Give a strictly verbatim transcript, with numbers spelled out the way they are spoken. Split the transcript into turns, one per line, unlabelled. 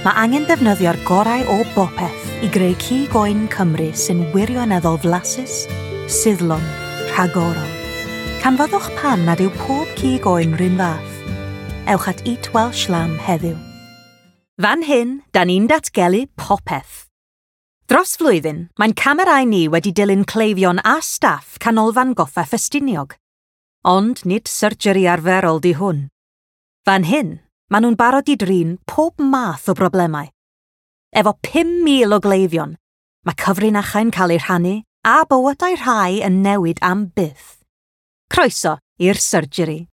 Mae angen defnyddio'r gorau o bopeth i greu cig oen Cymru sy'n wirioneddol flasus, suddlon, rhagorol. Canfyddwch pam nad yw pob cig oen run fath. Ewch at Eat Welsh Lamb heddiw. Fan hyn, da ni'n datgelu popeth. Dros flwyddyn, mae'n camerau ni wedi dilyn cleifion a staff Canolfan Goffa Ffestiniog. Ond nid surgery arferol di hwn. Fan hyn, maen nhw'n barod i drin pob math o broblemau. Efo pum mil o gleifion, mae cyfrinachau'n cael eu rhannu a bywydau rhai yn newid am byth. Croeso i'r surgery.